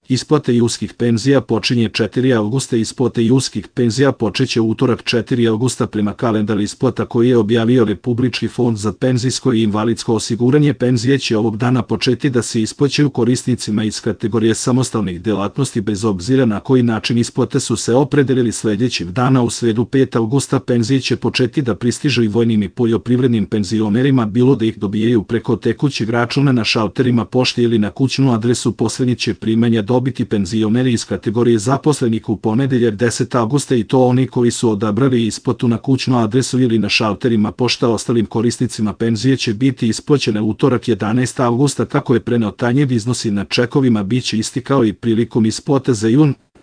Isplata julskih penzija počinje 4. avgusta. Isplata julskih penzija počeće u utorak 4. avgusta prema kalendaru isplata koji je objavio Republički fond za penzijsko i invalidsko osiguranje. Penzije će ovog dana početi da se isplaćuju korisnicima iz kategorije samostalnih delatnosti bez obzira na koji način isplate su se opredelili sljedećeg dana. U sredu 5. avgusta penzije će početi da pristižu i vojnim i poljoprivrednim penzionerima, bilo da ih dobijaju preko tekućeg računa na šalterima pošte ili na kućnu adresu. Poslednji će primanja dobiti penzioneri iz kategorije zaposlenih u ponedeljak 10. avgusta i to oni koji su odabrali isplatu na kućnu adresu ili na šalterima pošta. Ostalim korisnicima penzije će biti isplaćene utorak 11. avgusta. Kako je preneo, tanjeg iznosi na čekovima biće isti kao i prilikom isplate za jun.